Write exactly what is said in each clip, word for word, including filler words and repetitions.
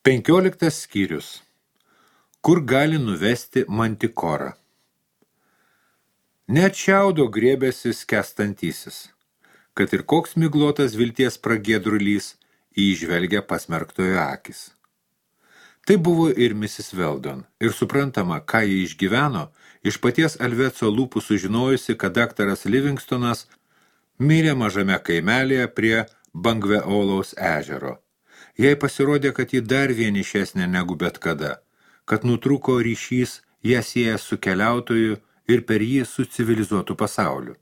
Penkioliktas skyrius. Kur gali nuvesti mantikorą? Net šiaudo grėbėsi skęstantysis, kad ir koks miglotas vilties pragiedrulys įžvelgia pasmerktojo akis. Tai buvo ir misis Weldon, ir suprantama, ką jie išgyveno, iš paties Alveco lūpų sužinojusi, kad daktaras Livingstonas mirė mažame kaimelėje prie Bangveolaus ežero. Jai pasirodė, kad ji dar vienišesnė negu bet kada, kad nutrūko ryšys ją sieja su keliautoju ir per jį su civilizuotu pasauliu.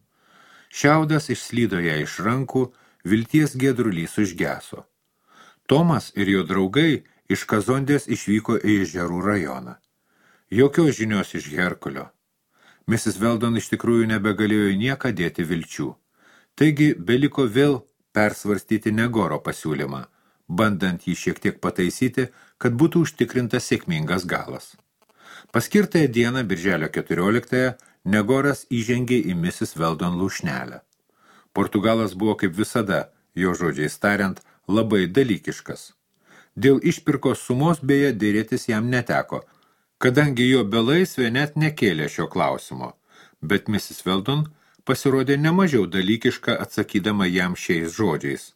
Šiaudas išslydo ją iš rankų, vilties giedrulys užgeso. Tomas ir jo draugai iš Kazondės išvyko į Ežerų rajoną. Jokios žinios iš Herkulio. misis Weldon iš tikrųjų nebegalėjo nieką dėti vilčių. Taigi beliko vėl persvarstyti Negoro pasiūlymą, bandant jį šiek tiek pataisyti, kad būtų užtikrintas sėkmingas galas. Paskirtąją dieną, birželio keturioliktąją, Negoras įžengė į misis Weldon lūšnelę. Portugalas buvo kaip visada, jo žodžiais tariant, labai dalykiškas. Dėl išpirkos sumos beje dėrėtis jam neteko, kadangi jo belaisvė net nekėlė šio klausimo, bet misis Weldon pasirodė nemažiau dalykiška atsakydama jam šiais žodžiais.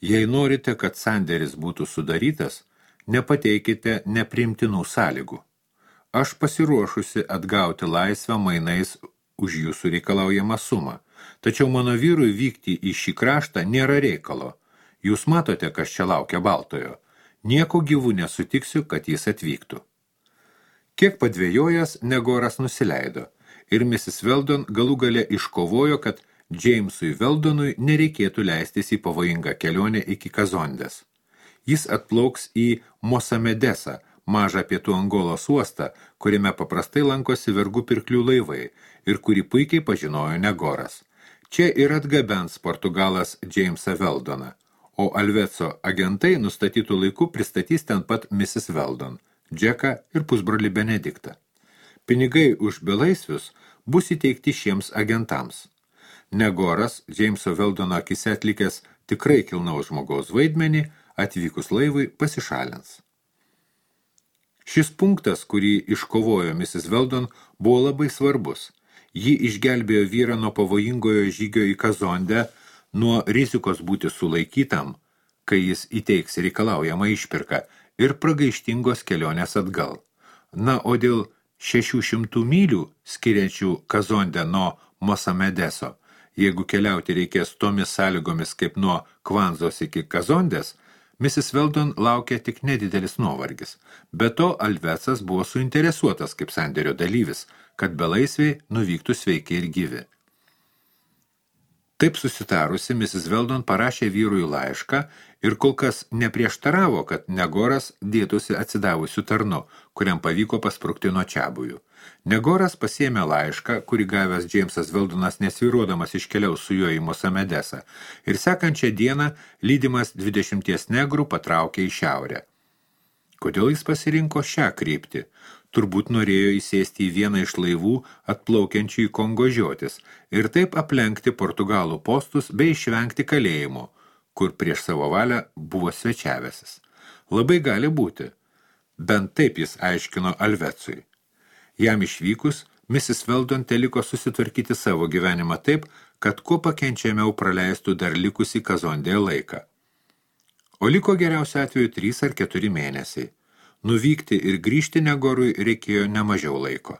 Jei norite, kad sandėris būtų sudarytas, nepateikite nepriimtinų sąlygų. Aš pasiruošusi atgauti laisvę mainais už jūsų reikalaujamą sumą, tačiau mano vyrui vykti į šį kraštą nėra reikalo. Jūs matote, kas čia laukia Baltojo. Nieko gyvų nesutiksiu, kad jis atvyktų. Kiek padvėjojęs, Negoras nusileido, ir misis Weldon galų gale iškovojo, kad Jamesui Weldonui nereikėtų leistis į pavojingą kelionę iki Kazondės. Jis atplauks į Mosamedesą, mažą pietų Angolos uostą, kuriame paprastai lankosi vergų pirklių laivai ir kurį puikiai pažinojo Negoras. Čia ir atgabens Portugalas Jamesą Weldoną, o Alveco agentai nustatytų laiku pristatys ten pat misis Weldon, Džeką ir pusbrolį Benediktą. Pinigai už belaisvius bus įteikti šiems agentams. Negoras, Jameso Weldono akise atlikęs tikrai kilnaus žmogaus vaidmenį, atvykus laivui pasišalins. Šis punktas, kurį iškovojo misis Weldon, buvo labai svarbus. Ji išgelbėjo vyrą nuo pavojingojo žygio į Kazondę, nuo rizikos būti sulaikytam, kai jis įteiks reikalaujamą išpirką, ir pragaištingos kelionės atgal. Na, o dėl šešių šimtų mylių skiriančių Kazondę nuo Mosamedeso, jeigu keliauti reikės tomis sąlygomis kaip nuo Kvanzos iki Kazondės, misis Weldon laukia tik nedidelis nuovargis. Be to, Alvecas buvo suinteresuotas kaip sandėrio dalyvis, kad belaisviai nuvyktų sveiki ir gyvi. Taip susitarusi, misis Weldon parašė vyrui laišką ir kol kas neprieštaravo, kad Negoras dėtųsi atsidavusių tarnu, kuriam pavyko pasprukti nuo čiabuvių. Negoras pasiėmė laišką, kurį gavęs Jamesas Weldonas nesvyruodamas iškeliaus su juo į Mosamedesą, ir sekančią dieną lydimas dvidešimties negrų patraukė į šiaurę. Kodėl jis pasirinko šią kryptį? Turbūt norėjo įsėsti į vieną iš laivų atplaukiančių į Kongo žiotis ir taip aplenkti Portugalų postus bei išvengti kalėjimo, kur prieš savo valią buvo svečiavęsis. Labai gali būti. Bent taip jis aiškino Alvecui. Jam išvykus, misis Weldon teliko susitvarkyti savo gyvenimą taip, kad kuo pakenčiamiau praleistų dar likusį Kazondėje laiką. O liko geriausiu atveju trys ar keturi mėnesiai. Nuvykti ir grįžti Negorui reikėjo nemažiau laiko.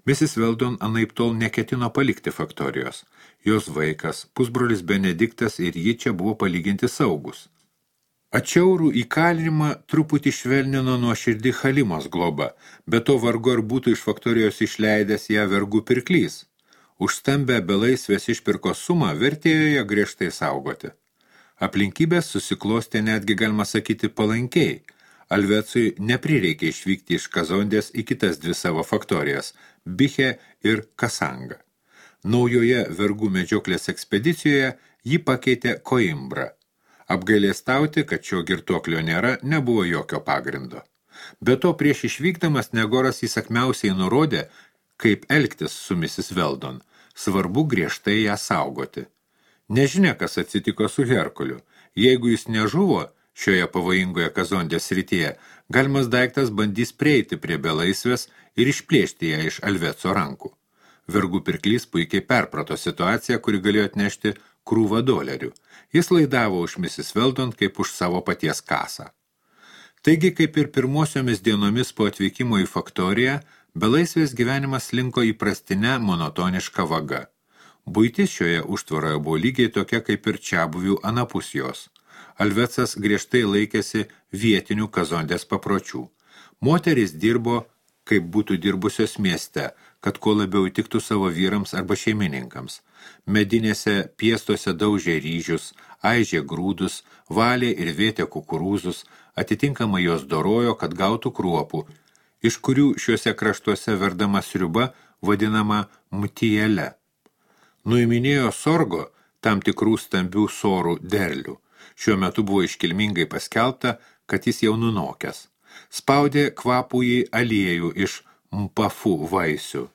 misis Weldon anaiptol neketino palikti faktorijos. Jos vaikas, pusbrolis Benediktas ir ji čia buvo palyginti saugus. Atšiaurų įkalinimą truputį švelnino nuoširdį Halimos globa, bet to vargu ar būtų iš faktorijos išleidęs ją vergų pirklys. Už stambę belaisvės išpirkos sumą vertėjo ją griežtai saugoti. Aplinkybės susiklostė netgi, galima sakyti, palankiai. Alvecui neprireikė išvykti iš Kazondės į kitas dvi savo faktorijas – Biche ir Kasanga. Naujoje vergų medžioklės ekspedicijoje jį pakeitė Koimbra. Apgailėstauti, kad šio girtuoklio nėra, nebuvo jokio pagrindo. Be to, prieš išvykdamas Negoras įsakmiausiai nurodė, kaip elgtis su misis Weldon. Svarbu griežtai ją saugoti. Nežinia, kas atsitiko su Herkuliu. Jeigu jis nežuvo, šioje pavojingoje kazondės srityje, galimas daiktas bandys prieiti prie belaisvės ir išplėšti ją iš Alveco rankų. Vergų pirklys puikiai perprato situaciją, kuri galėjo atnešti krūvą dolerių. Jis laidavo už misis Weldon kaip už savo paties kasą. Taigi, kaip ir pirmosiomis dienomis po atvykimo į faktoriją, belaisvės gyvenimas linko įprastinę monotonišką vagą. Buitis šioje užtvaroje buvo lygiai tokia kaip ir čiabuvių anapus jos. Alvecas griežtai laikėsi vietinių kazondės papročių. Moterys dirbo, kaip būtų dirbusios mieste, kad kuo labiau įtiktų savo vyrams arba šeimininkams. Medinėse piestuose daužė ryžius, aižė grūdus, valė ir vėtė kukurūzus, atitinkamai jos dorojo, kad gautų kruopų, iš kurių šiuose kraštuose verdama sriuba vadinama mtijele. Nuiminėjo sorgo tam tikrų stambių sorų derlių. Šiuo metu buvo iškilmingai paskelbta, kad jis jau nunokęs. Spaudė kvapųjį aliejų iš mpafų vaisių,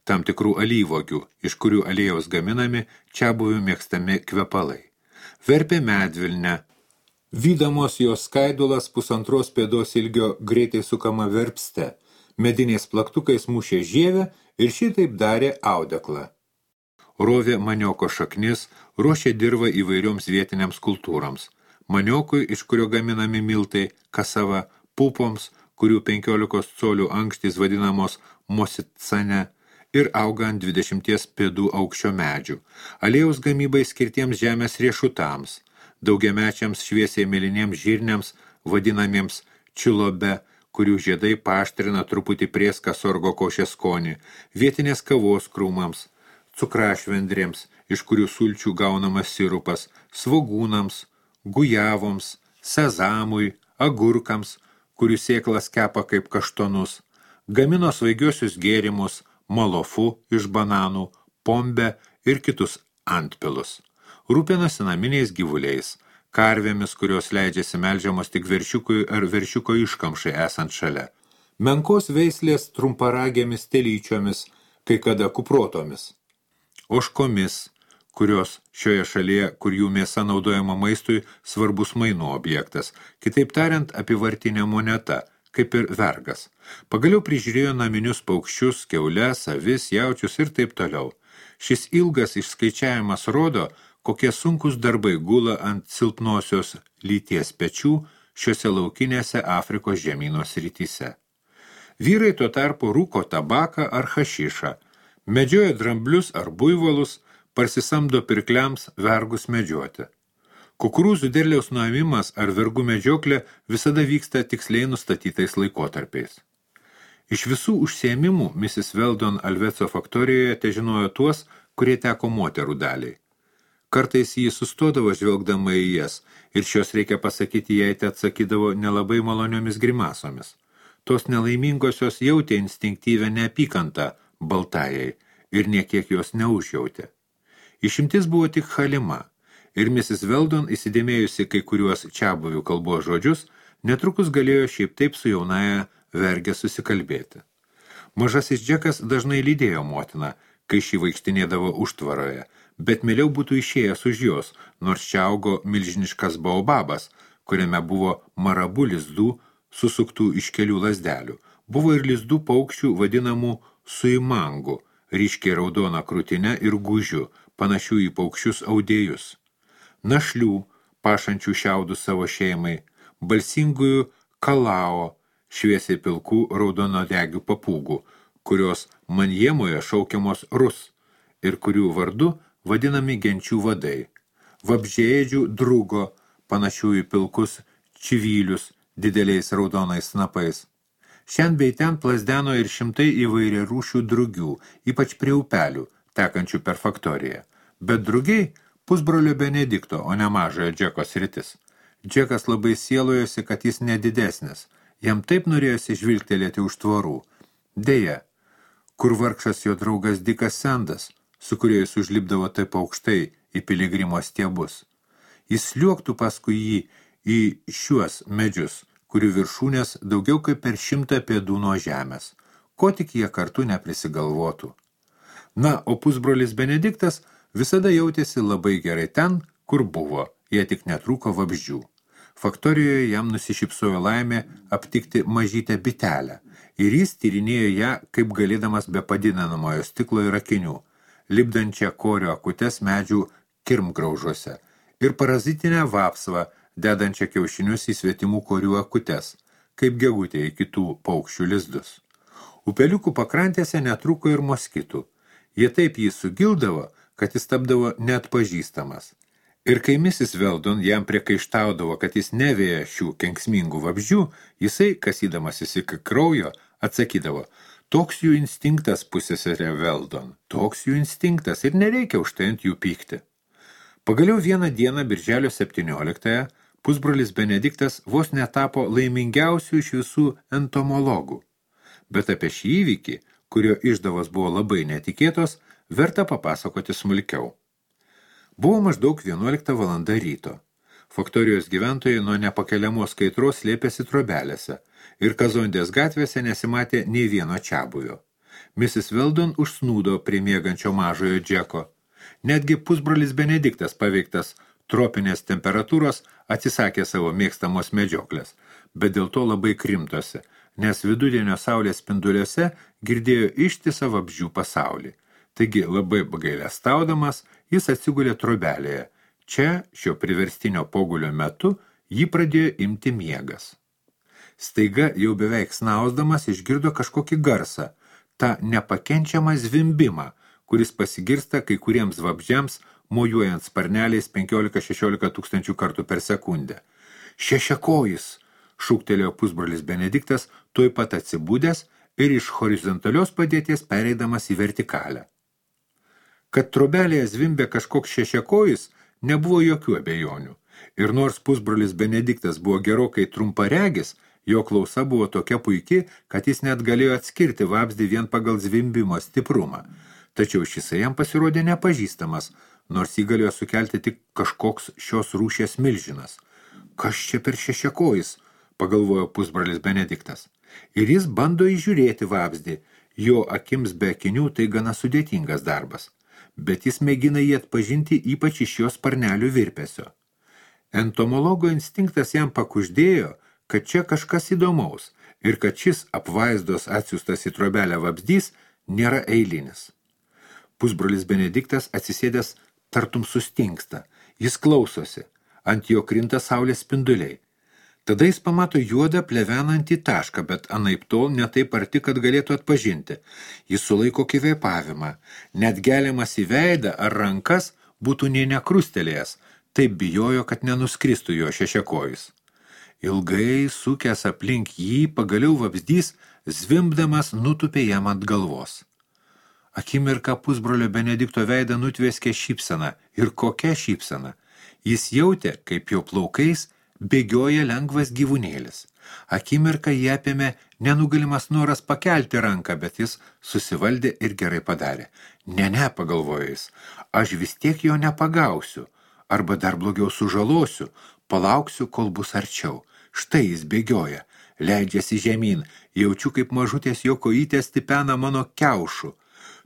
tam tikrų alyvogių, iš kurių aliejaus gaminami čiabuvių mėgstami kvepalai. Verpė medvilnę. Vydamos jos skaidulas pusantros pėdos ilgio greitai sukama verpste, mediniais plaktukais mušė žievę ir šitaip darė audeklą. Rovė manioko šaknis, ruošė dirvą įvairioms vietiniams kultūroms. Maniokui, iš kurio gaminami miltai, kasava, pupoms, kurių penkiolikos colių ankštys vadinamos mosicane ir auga ant dvidešimties pėdų aukščio medžių. Aliejaus gamybai skirtiems žemės riešutams, daugiamečiams šviesiai mėlyniems žirniams, vadinamiems čilobe, kurių žiedai paaštrina truputį prieską sorgo košės skonį, vietinės kavos krūmams, cukrašvendrėms, iš kurių sulčių gaunamas sirupas, svogūnams, gujavoms, sezamui, agurkams, kurių sėklas kepa kaip kaštonus, gamino svaigiosius gėrimus, malofu iš bananų, pombę ir kitus antpilus. Rūpinosi naminiais gyvuliais, karvėmis, kurios leidžiasi melžiamos tik veršiukui ar veršiuko iškamšai esant šalia. Menkos veislės trumparegėmis telyčiomis, kai kada kuprotomis. Ožkomis, kurios šioje šalyje, kur jų mėsa naudojama maistui, svarbus mainų objektas, kitaip tariant apivartinė moneta, kaip ir vergas. Pagaliau prižiūrėjo naminius paukščius, kiaules, avis, jaučius ir taip toliau. Šis ilgas išskaičiavimas rodo, kokie sunkus darbai gula ant silpnosios lyties pečių šiuose laukinėse Afrikos žemyno srityse. Vyrai tuo tarpu rūko tabaką ar hašišą, medžioja dramblius ar buivolus, parsisamdo pirkliams vergus medžioti. Kukurūzų derliaus nuėmimas ar vergų medžioklė visada vyksta tiksliai nustatytais laikotarpiais. Iš visų užsiėmimų misis Weldon Alveco faktorijoje težinojo tuos, kurie teko moterų daliai. Kartais jį sustodavo žvelgdama į jas, ir šios, reikia pasakyti, jai te atsakydavo nelabai maloniomis grimasomis. Tos nelaimingosios jautė instinktyvę neapykantą baltajai ir niekiek jos neužjautė. Išimtis buvo tik Halima, ir misis Weldon, įsidėmėjusi kai kuriuos čiabuvių kalbos žodžius, netrukus galėjo šiaip taip su jaunaja vergė susikalbėti. Mažasis Džekas dažnai lydėjo motiną, kai šį vaikštinėdavo užtvaroje, bet mieliau būtų išėjęs už jos, nors čia augo milžiniškas baobabas, kuriame buvo marabų lizdų susuktų iš kelių lazdelių. Buvo ir lizdų paukščių vadinamų suimangų, ryškiai raudona krūtinė ir gužių, panašių į paukščius audėjus. Našlių, pašančių šiaudus savo šeimai, balsingųjų kalao, šviesiai pilkų raudonodegių papūgų, kurios manjemoje šaukiamos rus ir kurių vardu vadinami genčių vadai, vabžėdžių drugo, panašių į pilkus čivylius dideliais raudonais snapais. Šiandien bei ten plazdeno ir šimtai įvairia rūšių drugių, ypač prie upelių, tekančių per faktoriją. Bet drugiai pusbrolio Benedikto, o ne mažojo Džeko sritis. Džekas labai sielojosi, kad jis nedidesnis. Jam taip norėjosi žvilgtelėti už tvorų. Deja, kur vargšas jo draugas Dikas Sendas, su kuriuo jis užlipdavo taip aukštai į piligrimo stiebus. Jis liuoktų paskui jį į šiuos medžius, kurių viršūnės daugiau kaip per šimtą pėdų nuo žemės, ko tik jie kartu neprisigalvotų. Na, o pusbrolis Benediktas visada jautėsi labai gerai ten, kur buvo, jie tik netrūko vabzdžių. Faktorijoje jam nusišypsojo laimė aptikti mažytę bitelę ir jis tyrinėjo ją, kaip galėdamas be padidinamojo stiklo ir akinių, lipdančią korio akutes medžių kirmgraužuose ir parazitinę vapsvą, dedančią kiaušinius į svetimų korių akutes, kaip gegutė į kitų paukščių lizdus. Upeliukų pakrantėse netrūko ir moskitų. Jie taip jį sugildavo, kad jis tapdavo neatpažįstamas. Ir kai misis Veldon jam priekaištaudavo, kad jis nevėja šių kenksmingų vabzdžių, jisai, kasydamasis iki kraujo, atsakydavo, toks jų instinktas, pusseserė Veldon, toks jų instinktas ir nereikia už tai ant jų pykti. Pagaliau vieną dieną, birželio septynioliktąją, pusbrolis Benediktas vos netapo laimingiausių iš visų entomologų. Bet apie šį įvykį, kurio išdavos buvo labai netikėtos, verta papasakoti smulkiau. Buvo maždaug vienuolikta valanda ryto. Faktorijos gyventojai nuo nepakeliamos kaitros slėpėsi trobelėse ir Kazondės gatvėse nesimatė nei vieno čiabuvio. misis Veldon užsnūdo prie miegančio mažojo Džeko. Netgi pusbrolis Benediktas, paveiktas tropinės temperatūros, atsisakė savo mėgstamos medžioklės, bet dėl to labai krimtosi, nes vidudienio saulės spinduliuose girdėjo ištisą vabzdžių pasaulį. Taigi labai bagailestaudamas, jis atsigulė trobelėje. Čia, šio priverstinio pogulio metu, jį pradėjo imti miegas. Staiga, jau beveik snausdamas, išgirdo kažkokį garsą, tą nepakenčiamą zvimbimą, kuris pasigirsta kai kuriems vabzdžiams, mojuojant sparneliais penkiolika šešiolika tūkstančių kartų per sekundę. Šešiakojis, šūktelėjo pusbrolis Benediktas, tuoj pat atsibūdęs ir iš horizontalios padėties pereidamas į vertikalę. Kad trobelėje zvimbė kažkoks šešiakojis, nebuvo jokių abejonių. Ir nors pusbrolis Benediktas buvo gerokai trumparegis, jo klausa buvo tokia puiki, kad jis net galėjo atskirti vabzdį vien pagal zvimbimo stiprumą. Tačiau šisai jam pasirodė nepažįstamas, nors jį galėjo sukelti tik kažkoks šios rūšies milžinas. Kas čia per šešiakojis, pagalvojo pusbrolis Benediktas. Ir jis bando įžiūrėti vabzdį. Jo akims be akinių tai gana sudėtingas darbas. Bet jis mėgina jį atpažinti ypač iš jos sparnelių virpesio. Entomologo instinktas jam pakuždėjo, kad čia kažkas įdomaus ir kad šis apvaizdos atsiųstas į trobelę vabzdys nėra eilinis. Pusbrolis Benediktas atsisėdęs tartum sustingsta. Jis klausosi. Ant jo krinta saulės spinduliai. Tada jis pamato juodą plevenantį tašką, bet anaip tol ne taip arti, kad galėtų atpažinti. Jis sulaiko kvėpavimą. Net geliamas į veidą ar rankas būtų nė nekrustelėjęs. Taip bijojo, kad nenuskristų jo šešiakojis. Ilgai sukęs aplink jį, pagaliau vabzdys, zvimbdamas nutupė jam ant galvos. Akimirką pusbrolio Benedikto veidą nutvėskė šypsena. Ir kokia šypsena? Jis jautė, kaip jo plaukais bėgioja lengvas gyvūnėlis. Akimirką jį apėmė nenugalimas noras pakelti ranką, bet jis susivaldė ir gerai padarė. Ne, ne, pagalvojo jis, aš vis tiek jo nepagausiu, arba dar blogiau sužalosiu, palauksiu, kol bus arčiau. Štai jis bėgioja, leidžiasi žemyn, jaučiu, kaip mažutės jo kojytės stipena mano kiaušų.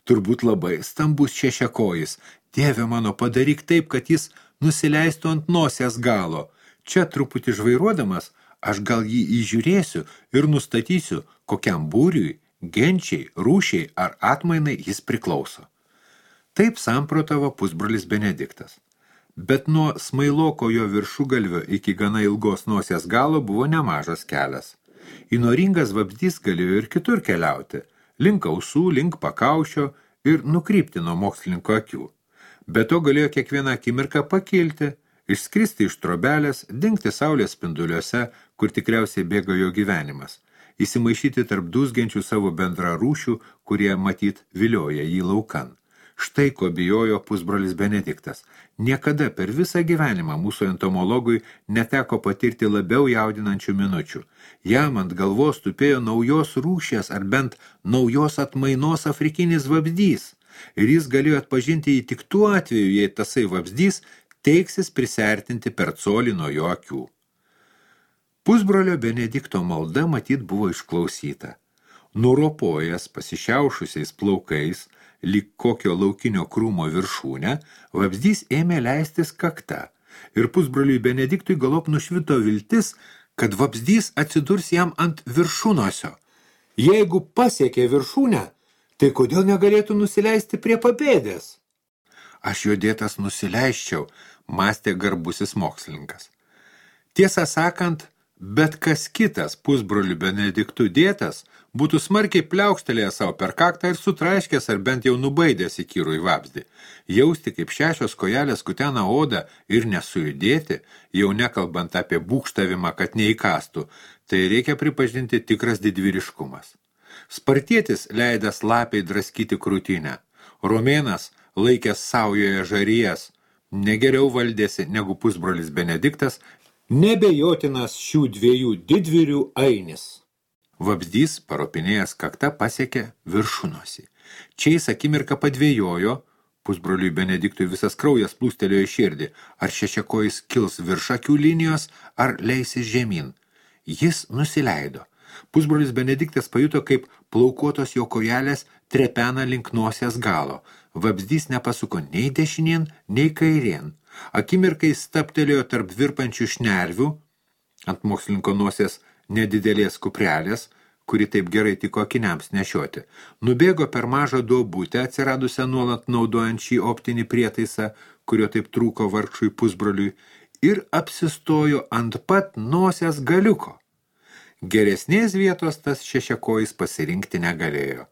Turbūt labai stambus šešiakojis. Dieve mano, padaryk taip, kad jis nusileistų ant nosies galo. Čia truputį žvairuodamas, aš gal jį įžiūrėsiu ir nustatysiu, kokiam būriui, genčiai, rūšiai ar atmainai jis priklauso. Taip samprotavo pusbrolis Benediktas. Bet nuo smailoko jo viršugalvio iki gana ilgos nosies galo buvo nemažas kelias. Įnoringas vabzdys galėjo ir kitur keliauti, link ausų, link pakaušio ir nukrypti nuo mokslininko akių. Be to galėjo kiekvieną akimirką pakilti, išskristi iš trobelės, dingti saulės spinduliuose, kur tikriausiai bėgo jo gyvenimas, įsimaišyti tarp dūzgiančių savo bendrarūšių, kurie matyt vilioja jį laukan. Štai ko bijojo pusbrolis Benediktas. Niekada per visą gyvenimą mūsų entomologui neteko patirti labiau jaudinančių minučių. Jam ant galvos tupėjo naujos rūšies ar bent naujos atmainos afrikinis vabzdys. Ir jis galėjo atpažinti jį tik tuo atveju, jei tasai vabzdys teiksis prisertinti per colį nuo jo akių. Pusbrolio Benedikto malda matyt buvo išklausyta. Nuropojęs pasišiaušusiais plaukais, lyg kokio laukinio krūmo viršūnę, vabzdys ėmė leistis kakta, Ir pusbroliui Benediktui galop nušvito viltis, kad vabzdys atsidurs jam ant viršūnosio. Jeigu pasiekė viršūnę, tai kodėl negalėtų nusileisti prie papėdės? Aš jo dėtas nusileisčiau, mąstė garbusis mokslininkas. Tiesą sakant, bet kas kitas pusbrolių Benediktų dėtas būtų smarkiai pliaukštelėjęs savo per kaktą ir sutraiškęs ar bent jau nubaidęs į kyrų į vabzdį. Jausti, kaip šešios kojelės kutena odą ir nesujudėti, jau nekalbant apie būkštavimą, kad neįkastų, tai reikia pripažinti tikras didvyriškumas. Spartietis leidęs lapiai draskyti krūtinę. Romėnas, laikęs saujoje žarijas, negeriau valdėsi negu pusbrolis Benediktas, nebejotinas šių dviejų didvyrių ainis. Vabzdys, paropinėjęs kakta, pasiekė viršūnosį. Čia jis akimirką padvėjojo, pusbroliui Benediktui visas kraujas plūstelėjo į širdį, ar šešiakojis kils virš akių linijos, ar leisis žemyn. Jis nusileido. Pusbrolis Benediktas pajuto, kaip plaukuotos jo kojelės trepena link nosies galo. Vabzdys nepasuko nei dešinien, nei kairien. Akimirkai staptelėjo tarp virpančių šnervių, ant mokslininko nosies nedidelės kuprelės, kuri taip gerai tiko akiniams nešioti. Nubėgo per mažą duobutę, atsiradusią nuolat naudojant šį optinį prietaisą, kurio taip trūko vargšui pusbroliui, ir apsistojo ant pat nosies galiuko. Geresnės vietos tas šešiakojis pasirinkti negalėjo.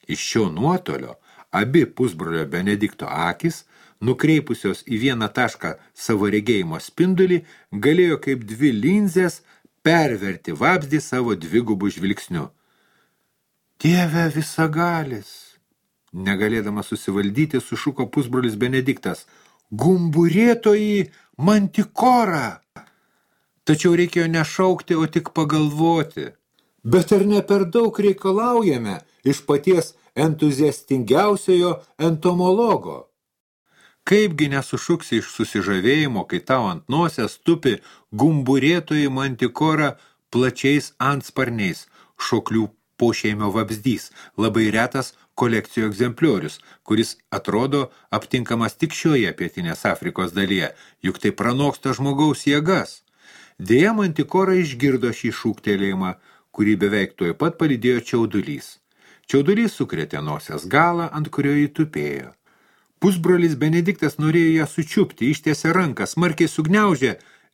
Iš šio nuotolio abi pusbrolio Benedikto akis, nukreipusios į vieną tašką savo regėjimo spindulį, galėjo kaip dvi linzės perverti vabzdį savo dvigubų žvilgsniu. Dieve visagalis! Negalėdamas susivaldyti, sušuko pusbrolis Benediktas. Gumburėtoji mantikora! Tačiau reikėjo nešaukti, o tik pagalvoti. Bet ar ne per daug reikalaujame iš paties entuziastingiausiojo entomologo? Kaipgi nesušuksi iš susižavėjimo, kai tau ant nosies tupi gumburėtoji mantikora plačiais antsparniais, šoklių pošeimio vabzdys, labai retas kolekcijų egzempliorius, kuris atrodo aptinkamas tik šioje pietinės Afrikos dalyje, juk tai pranoksta žmogaus jėgas. Deja, mantikora išgirdo šį šūktelėjimą, kurį beveik tuoj pat palydėjo čiaudulys. Čiaudulys sukrėtė nosies galą, ant kurio jį tupėjo. Pusbrolis Benediktas norėjo ją sučiupti, ištiesė ranką, smarkiai sugniaužė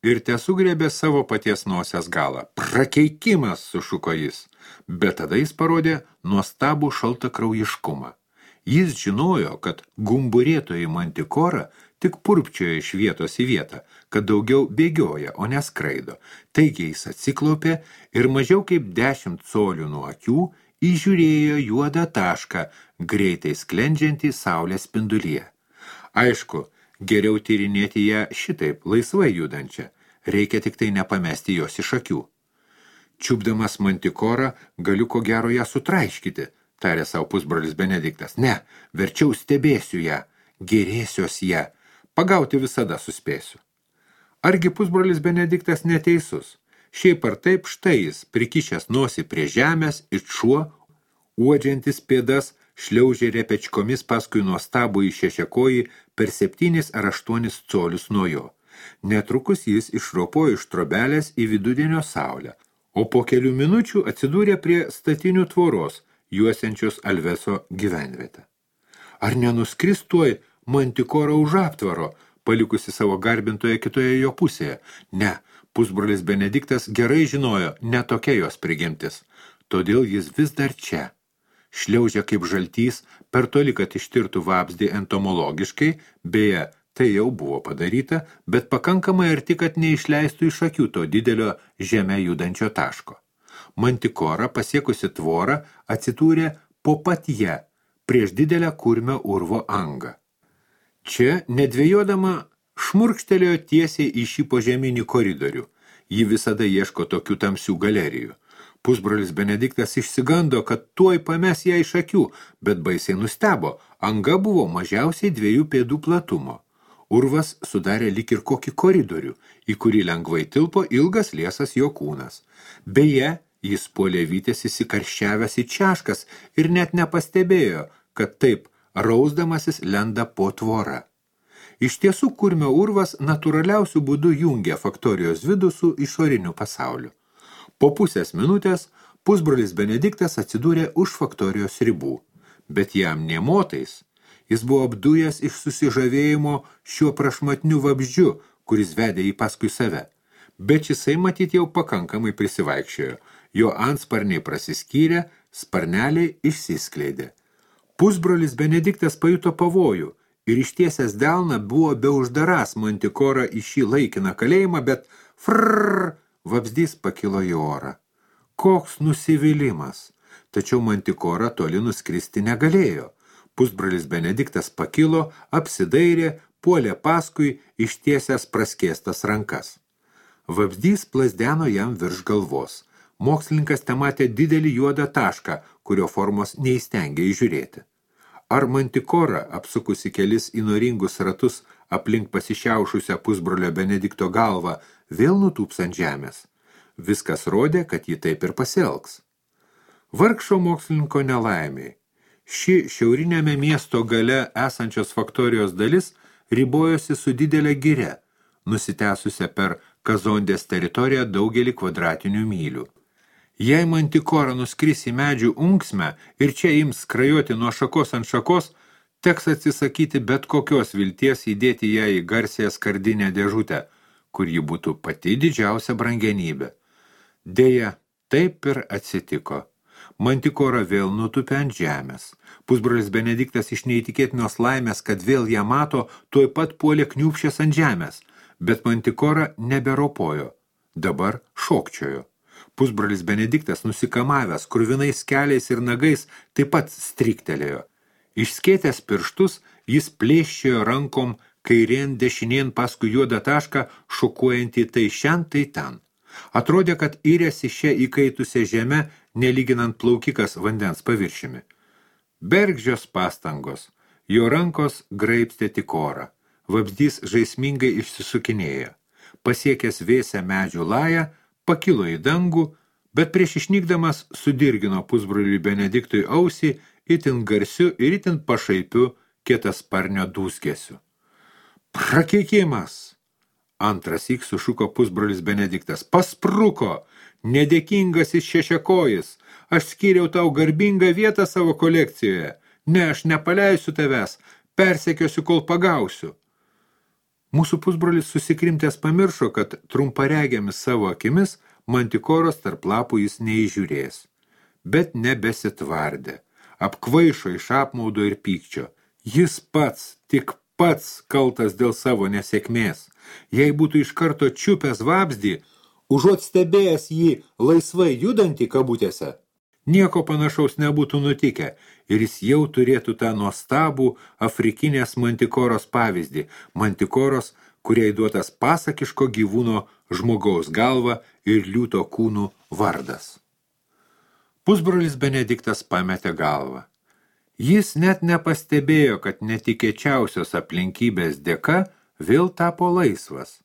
ir tesugriebė savo paties nosies galą. Prakeikimas, sušuko jis, bet tada jis parodė nuostabų šaltakraujiškumą. Jis žinojo, kad gumburėtoji mantikora tik purpčioja iš vietos į vietą, kad daugiau bėgioja, o neskraido. Taigi jis atsiklaupė ir mažiau kaip dešimt colių nuo akių įžiūrėjo juodą tašką, greitai sklendžiantį saulės spindulyje. Aišku, geriau tyrinėti ją šitaip, laisvai judančią. Reikia tik tai nepamesti jos iš akių. Čiupdamas mantikorą, galiu ko gero ją sutraiškyti, tarė savo pusbrolis Benediktas. Ne, verčiau stebėsiu ją, gerėsiuos ją, pagauti visada suspėsiu. Argi pusbrolis Benediktas neteisus? Šiaip ar taip štai jis, prikišęs nosį prie žemės, it šuo, uodžiantis pėdas, šliaužė repečkomis paskui nuostabų į šešiakojį per septynis ar aštuonis colius nuo jo. Netrukus jis išropojo iš trobelės į vidudienio saulę, o po kelių minučių atsidūrė prie statinių tvoros, juosiančios Alveso gyvenvietę. Ar nenuskris tuoj mantikora už aptvaro, palikusi savo garbintoje kitoje jo pusėje? Ne, pusbrolis Benediktas gerai žinojo, ne tokia jos prigimtis. Todėl jis vis dar čia. Šliaužia kaip žaltys, per toli, kad ištirtų vabzdį entomologiškai, beje, tai jau buvo padaryta, bet pakankamai arti, kad neišleistų iš akių to didelio žeme judančio taško. Mantikora, pasiekusi tvorą, atsidūrė po pat ją, prieš didelę kurmio urvo angą. Čia, nedvejodama, šmurkštelėjo tiesiai į šį požeminį koridorių. Ji visada ieško tokių tamsių galerijų. Pusbrolis Benediktas išsigando, kad tuoj pames ją iš akių, bet baisiai nustebo. Anga buvo mažiausiai dviejų pėdų platumo. Urvas sudarė lyg ir kokį koridorių, į kurį lengvai tilpo ilgas liesas jo kūnas. Beje, jis puolė vytės įsikarščiavęs į češkas ir net nepastebėjo, kad taip rausdamasis lenda po tvorą. Iš tiesų, kurmio urvas natūraliausių būdų jungia faktorijos vidų su išoriniu pasauliu. Po pusės minutės pusbrolis Benediktas atsidūrė už faktorijos ribų, bet jam nė motais. Jis buvo apdujęs iš susižavėjimo šiuo prašmatniu vabzdžiu, kuris vedė jį paskui save. Bet jisai matyt jau pakankamai prisivaikščiojo. Jo antsparniai prasiskyrė, sparneliai išsiskleidė. Pusbrolis Benediktas pajuto pavojų ir ištiesęs delną buvo beuždarąs mantikorą į šį laikiną kalėjimą, bet frrrr, vabzdys pakilo į orą. Koks nusivylimas! Tačiau mantikora toli nuskristi negalėjo. Pusbrolis Benediktas pakilo, apsidairė, puolė paskui ištiesęs praskėstas rankas. Vabzdys plazdeno jam virš galvos. Mokslininkas tematė didelį juodą tašką, kurio formos neįstengė įžiūrėti. Ar mantikora, apsukusi kelis įnoringus ratus aplink pasišiaušusią pusbrolio Benedikto galvą, vėl nutūps ant žemės? Viskas rodė, kad ji taip ir pasielgs. Vargšo mokslininko nelaimiai. Ši šiaurinėme miesto gale esančios faktorijos dalis ribojosi su didelė giria, nusitęsusią per Kazondės teritoriją daugelį kvadratinių mylių. Jei mantikora nuskris į medžių unksmę ir čia ims skrajoti nuo šakos ant šakos, teks atsisakyti bet kokios vilties įdėti ją į garsiąją skardinę dėžutę, kur ji būtų pati didžiausia brangenybė. Deja, taip ir atsitiko. Mantikora vėl nutupė ant žemės. Pusbrolis Benediktas iš neįtikėtinos laimės, kad vėl ją mato, tuoj pat puolė kniūpšęs ant žemės, bet mantikora neberopojo. Dabar šokčiojo. Pusbrolis Benediktas, nusikamavęs krūvinais keliais ir nagais, taip pat striktelėjo. Išskėtęs pirštus, jis plėščiojo rankom kairien dešinien paskui juodą tašką, šokuojantį tai šen, tai ten. Atrodė, kad yrėsi šią įkaitusią žemę, nelyginant plaukikas vandens paviršimi. Bergždžios pastangos. Jo rankos graibstė tik orą. Vabzdys žaismingai išsisukinėjo. Pasiekęs vėsią medžių lają, pakilo į dangų, bet prieš išnykdamas sudirgino pusbroliui Benediktui ausį itin garsiu ir itin pašaipiu kietasparnio dūzgesiu. Prakeikimas! Antrąsyk sušuko pusbrolis Benediktas. Paspruko! Nedėkingasis šešiakojis! Aš skyriau tau garbingą vietą savo kolekcijoje. Ne, aš nepaleisiu tavęs, persekiosiu, kol pagausiu. Mūsų pusbrolis susikrimtęs pamiršo, kad trumparegiamis savo akimis mantikoros tarp lapų jis neįžiūrės. Bet nebesitvardė. Apkvaišo iš apmaudo ir pykčio. Jis pats, tik pats kaltas dėl savo nesėkmės. Jei būtų iš karto čiupęs vabzdį, užuot stebėjęs jį laisvai judantį kabutėse, nieko panašaus nebūtų nutikę ir jis jau turėtų tą nuostabų afrikinės mantikoros pavyzdį, mantikoros, kuriai duotas pasakiško gyvūno žmogaus galva ir liūto kūnų vardas. Pusbrolis Benediktas pametė galvą. Jis net nepastebėjo, kad netikėčiausios aplinkybės dėka vėl tapo laisvas.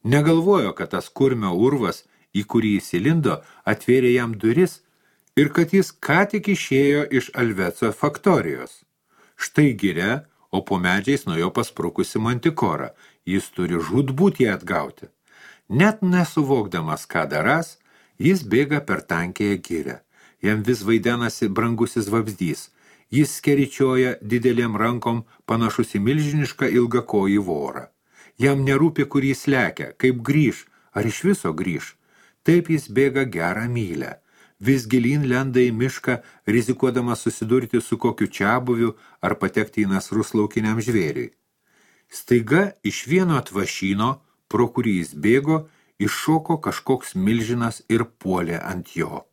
Negalvojo, kad tas kurmio urvas, į kurį įsilindo, atvėrė jam duris ir kad jis ką tik išėjo iš Alveco faktorijos. Štai giria, o po medžiais nuo jo pasprukusi mantikora. Jis turi žūtbūt ją atgauti. Net nesuvokdamas, ką daras, jis bėga per tankėje girę. Jam vis vaidenasi brangusis vabzdys. Jis skeričioja didelėm rankom panašus į milžinišką ilgakojį vorą. Jam nerūpi, kur jis lekia, kaip grįž, ar iš viso grįž. Taip jis bėga gerą mylę. Vis gilyn lenda į mišką, rizikuodamas susidurti su kokiu čiabuviu ar patekti į nasrus laukiniam žvėriui. Staiga iš vieno atvašyno, pro kurį jis bėgo, iššoko kažkoks milžinas ir puolė ant jo.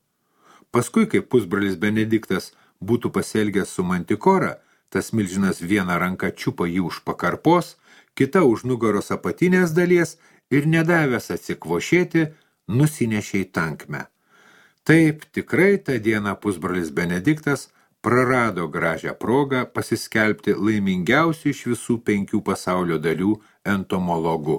Paskui, kai pusbrolis Benediktas būtų pasielgęs su mantikora, tas milžinas vieną ranką čiupo jį už pakarpos, kita už nugaros apatinės dalies ir nedavęs atsikvošėti, nusinešė į tankmę. Taip, tikrai tą dieną pusbrolis Benediktas prarado gražią progą pasiskelbti laimingiausiu iš visų penkių pasaulio dalių entomologu.